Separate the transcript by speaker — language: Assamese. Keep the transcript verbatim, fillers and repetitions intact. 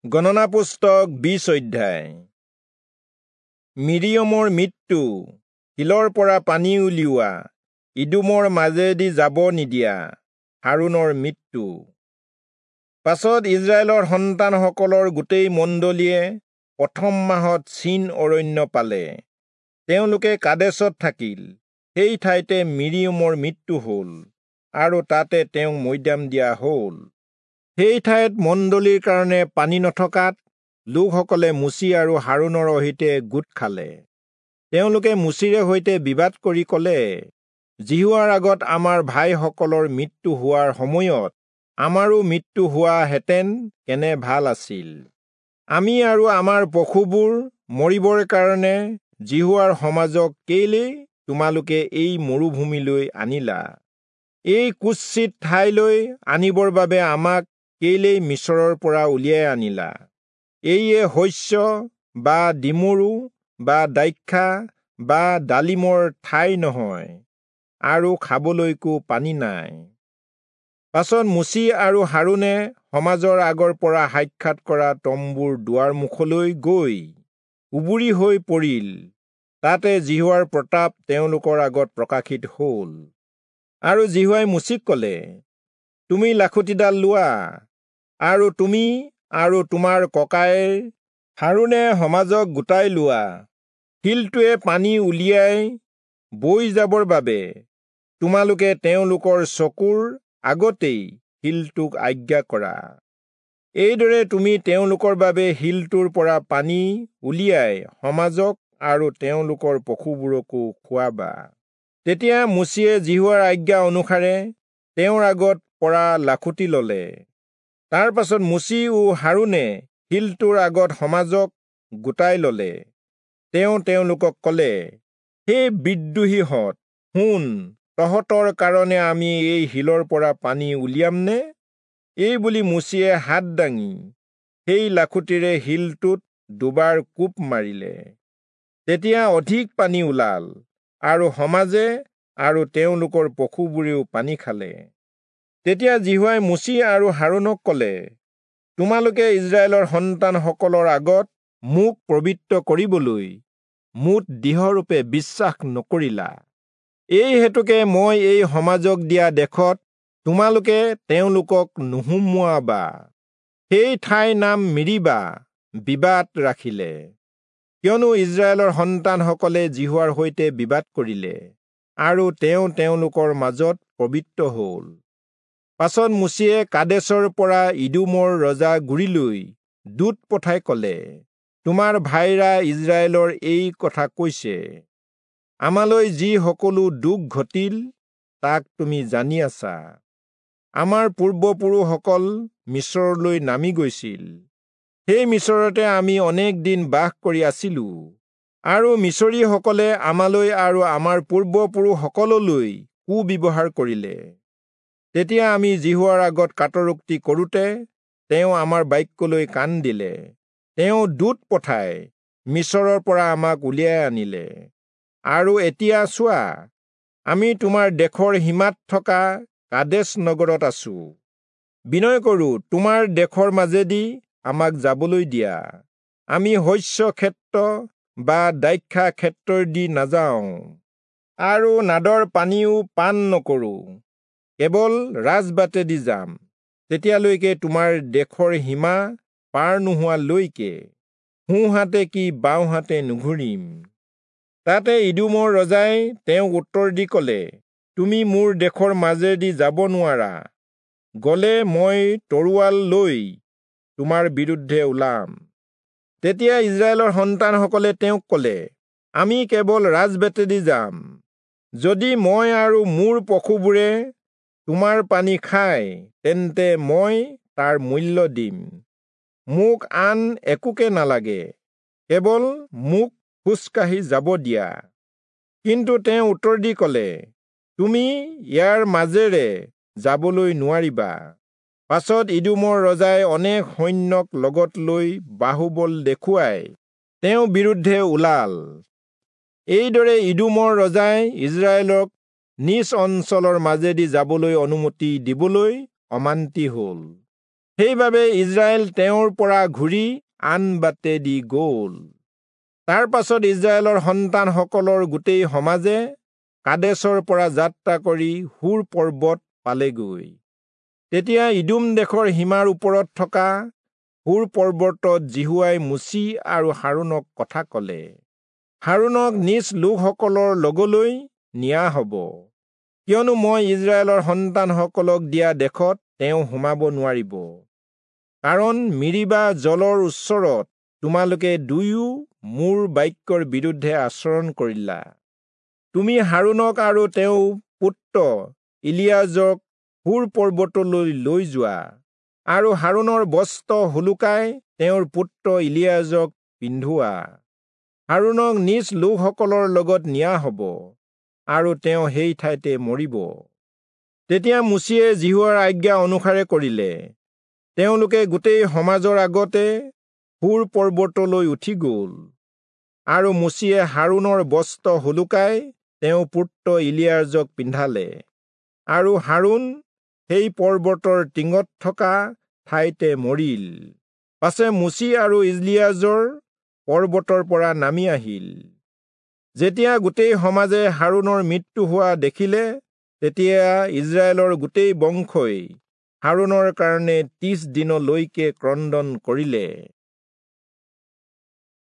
Speaker 1: গণনা পুস্তক বিশ অধ্যায়। মিৰিয়মৰ মৃত্যু, শিলৰ পৰা পানী উলিওৱা, ইদোমৰ মাজেদি যাব নিদিয়া, হাৰোণৰ মৃত্যু। পাছত ইস্ৰায়েলৰ সন্তানসকলৰ গোটেই মণ্ডলীয়ে প্ৰথম মাহত চীন অৰণ্য পালে। তেওঁলোকে কাদেশত থাকিল। সেই ঠাইতে মিৰিয়মৰ মৃত্যু হ'ল আৰু তাতে তেওঁক মৈদাম দিয়া হ'ল। সেই ঠাইত মণ্ডলীৰ কাৰণে পানী নথকাত লোকসকলে মোচি আৰু হাৰোণৰ সৈতে গোট খালে। তেওঁলোকে মোচিৰে সৈতে বিবাদ কৰি ক'লে, যিহোৱাৰ আগত আমাৰ ভাইসকলৰ মৃত্যু হোৱাৰ সময়ত আমাৰো মৃত্যু হোৱাহেঁতেন কেনে ভাল আছিল। আমি আৰু আমাৰ পশুবোৰ মৰিবৰ কাৰণে যিহোৱাৰ সমাজক কেলেই তোমালোকে এই মৰুভূমিলৈ আনিলা? এই কুৎসিত ঠাইলৈ আনিবৰ বাবে আমাক কেলেই মিচৰৰ পৰা উলিয়াই আনিলা? এইয়ে শস্য বা ডিমৰু বা দ্ৰাক্ষা বা ডালিমৰ ঠাই নহয়, আৰু খাবলৈকো পানী নাই। পাছত মোচি আৰু হাৰোণে সমাজৰ আগৰ পৰা সাক্ষাৎ কৰা তম্বুৰ দুৱাৰ মুখলৈ গৈ উবুৰি হৈ পৰিল। তাতে যিহোৱাৰ প্ৰতাপ তেওঁলোকৰ আগত প্ৰকাশিত হ'ল। আৰু যিহোৱাই মোচিক ক'লে, তুমি লাখুটিডাল লোৱা, আৰু তুমি আৰু তোমাৰ ককায়েৰ হাৰোণে সমাজক গোটাই লোৱা। শিলটোৱে পানী উলিয়াই বৈ যাবৰ বাবে তোমালোকে তেওঁলোকৰ চকুৰ আগতেই শিলটোক আজ্ঞা কৰা। এইদৰে তুমি তেওঁলোকৰ বাবে শিলটোৰ পৰা পানী উলিয়াই সমাজক আৰু তেওঁলোকৰ পশুবোৰকো খুৱাবা। তেতিয়া মোচিয়ে যিহোৱাৰ আজ্ঞা অনুসাৰে তেওঁৰ আগত পৰা লাখুটি ললে। তাৰ পাছত মোচি ও হাৰোণে শিলটোৰ আগত সমাজক গোটাই ললে। তেওঁ তেওঁলোকক ক'লে, হে বিদ্ৰোহীহঁত, শুন, তহঁতৰ কাৰণে আমি এই শিলৰ পৰা পানী উলিয়ামনে? এই বুলি মোচিয়ে হাত দাঙি সেই লাখুটিৰে শিলটোত দুবাৰ কোব মাৰিলে। তেতিয়া অধিক পানী ওলাল, আৰু সমাজে আৰু তেওঁলোকৰ পশুবোৰেও পানী খালে। তেতিয়া যিহোৱাই মোচি আৰু হাৰোণক ক'লে, তোমালোকে ইস্ৰায়েলৰ সন্তানসকলৰ আগত মোক পবিত্ৰ কৰিবলৈ মোত দৃঢ়ৰূপে বিশ্বাস নকৰিলা। এই হেতুকে মই এই সমাজক দিয়া দেশত তোমালোকে তেওঁলোকক নুসুমুৱাবা। সেই ঠাইৰ নাম মিৰিবা বিবাদ ৰাখিলে, কিয়নো ইস্ৰায়েলৰ সন্তানসকলে যিহোৱাৰ সৈতে বিবাদ কৰিলে, আৰু তেওঁ তেওঁলোকৰ মাজত পবিত্ৰ হ'ল। পাছত মোচিয়ে কাদেশৰ পৰা ইদোমৰ ৰজা গুৰিলৈ দূত পঠাই ক'লে, তোমাৰ ভাইৰা ইস্ৰায়েলৰ এই কথা কৈছে, আমালৈ যি সকলো দুখ ঘটিল তাক তুমি জানি আছা। আমাৰ পূৰ্বপুৰুষসকল মিচৰলৈ নামি গৈছিল। সেই মিচৰতে আমি অনেক দিন বাস কৰি আছিলো, আৰু মিচৰীসকলে আমালৈ আৰু আমাৰ পূৰ্বপুৰুষসকললৈ কুব্যৱহাৰ কৰিলে। তেতিয়া আমি যিহোৱাৰ আগত কাতৰোক্তি কৰোঁতে তেওঁ আমাৰ বাক্যলৈ কাণ দিলে। তেওঁ দূত পঠাই মিচৰৰ পৰা আমাক উলিয়াই আনিলে। আৰু এতিয়া চোৱা, আমি তোমাৰ দেশৰ সীমাত থকা কাদেশ নগৰত আছো। বিনয় কৰোঁ, তোমাৰ দেশৰ মাজেদি আমাক যাবলৈ দিয়া। আমি শস্য ক্ষেত্ৰ বা দ্ৰাক্ষা ক্ষেত্ৰৰ দি নাযাওঁ, আৰু নাদৰ পানীও পান নকৰোঁ, কেৱল ৰাজবাটেদি যাম। তেতিয়ালৈকে তোমাৰ দেশৰ সীমা পাৰ নোহোৱালৈকে সোঁহাতে কি বাওঁহাতে নুঘূৰিম। তাতে ইদোমৰ ৰজাই তেওঁক উত্তৰ দি ক'লে, তুমি মোৰ দেশৰ মাজেদি যাব নোৱাৰা, গ'লে মই তৰোৱাল লৈ তোমাৰ বিৰুদ্ধে ওলাম। তেতিয়া ইস্ৰায়েলৰ সন্তানসকলে তেওঁক ক'লে, আমি কেৱল ৰাজবাটেদি যাম। যদি মই আৰু মোৰ পশুবোৰে তোমাৰ পানী খায়, তেন্তে মই তাৰ মূল্য দিম। মোক আন একোকে নালাগে, কেৱল মোক খোজকাঢ়ি যাব দিয়া। কিন্তু তেওঁ উত্তৰ দি ক'লে, তুমি ইয়াৰ মাজেৰে যাবলৈ নোৱাৰিবা। পাছত ইদোমৰ ৰজাই অনেক সৈন্যক লগত লৈ বাহুবল দেখুৱাই তেওঁৰ বিৰুদ্ধে ওলাল। এইদৰে ইদোমৰ ৰজাই ইস্ৰায়েলক নিজ অঞ্চলৰ মাজেদি যাবলৈ অনুমতি দিবলৈ অমান্তি হ'ল। সেইবাবে ইস্ৰায়েল তেওঁৰ পৰা ঘূৰি আন বাটেদি গ'ল। তাৰ পাছত ইস্ৰায়েলৰ সন্তানসকলৰ গোটেই সমাজে কাদেচৰ পৰা যাত্ৰা কৰি হূৰ পৰ্বত পালেগৈ। তেতিয়া ইদোম দেশৰ সীমাৰ ওপৰত থকা হূৰ পৰ্বতত যিহোৱাই মোচি আৰু হাৰোণক কথা কলে, হাৰোণক নিজ লোকসকলৰ লগলৈ নিয়া হব, কিয়নো মই ইস্ৰায়েলৰ সন্তানসকলক দিয়া দেশত তেওঁ সোমাব নোৱাৰিব, কাৰণ মিৰিবা জলৰ ওচৰত তোমালোকে দুয়ো মোৰ বাক্যৰ বিৰুদ্ধে আচৰণ কৰিলা। তুমি হাৰোণক আৰু তেওঁৰ পুত্ৰ ইলিয়াজৰক হূৰ পৰ্বতলৈ লৈ যোৱা, আৰু হাৰোণৰ বস্ত্ৰ সোলোকাই তেওঁৰ পুত্ৰ ইলিয়াজৰক পিন্ধোৱা। হাৰোণক নিজ লোকসকলৰ লগত নিয়া হব, আৰু তেওঁ সেই ঠাইতে মৰিব। তেতিয়া মোচিয়ে যিহোৱাৰ আজ্ঞা অনুসাৰে কৰিলে। তেওঁলোকে গোটেই সমাজৰ আগতে হূৰ পৰ্বতলৈ উঠি গ'ল, আৰু মোচিয়ে হাৰোণৰ বস্ত্ৰ সোলোকাই তেওঁৰ পুত্ৰ ইলিয়াজৰক পিন্ধালে, আৰু হাৰোণ সেই পৰ্বতৰ টিঙত থকা ঠাইতে মৰিল। পাছে মোচি আৰু ইলিয়াজৰ পৰ্বতৰ পৰা নামি আহিল। যেতিয়া গোটেই সমাজে হাৰোণৰ মৃত্যু হোৱা দেখিলে, তেতিয়া ইস্ৰায়েলৰ গোটেই বংশই হাৰোণৰ কাৰণে ত্ৰিশ দিনলৈকে ক্ৰন্দন কৰিলে।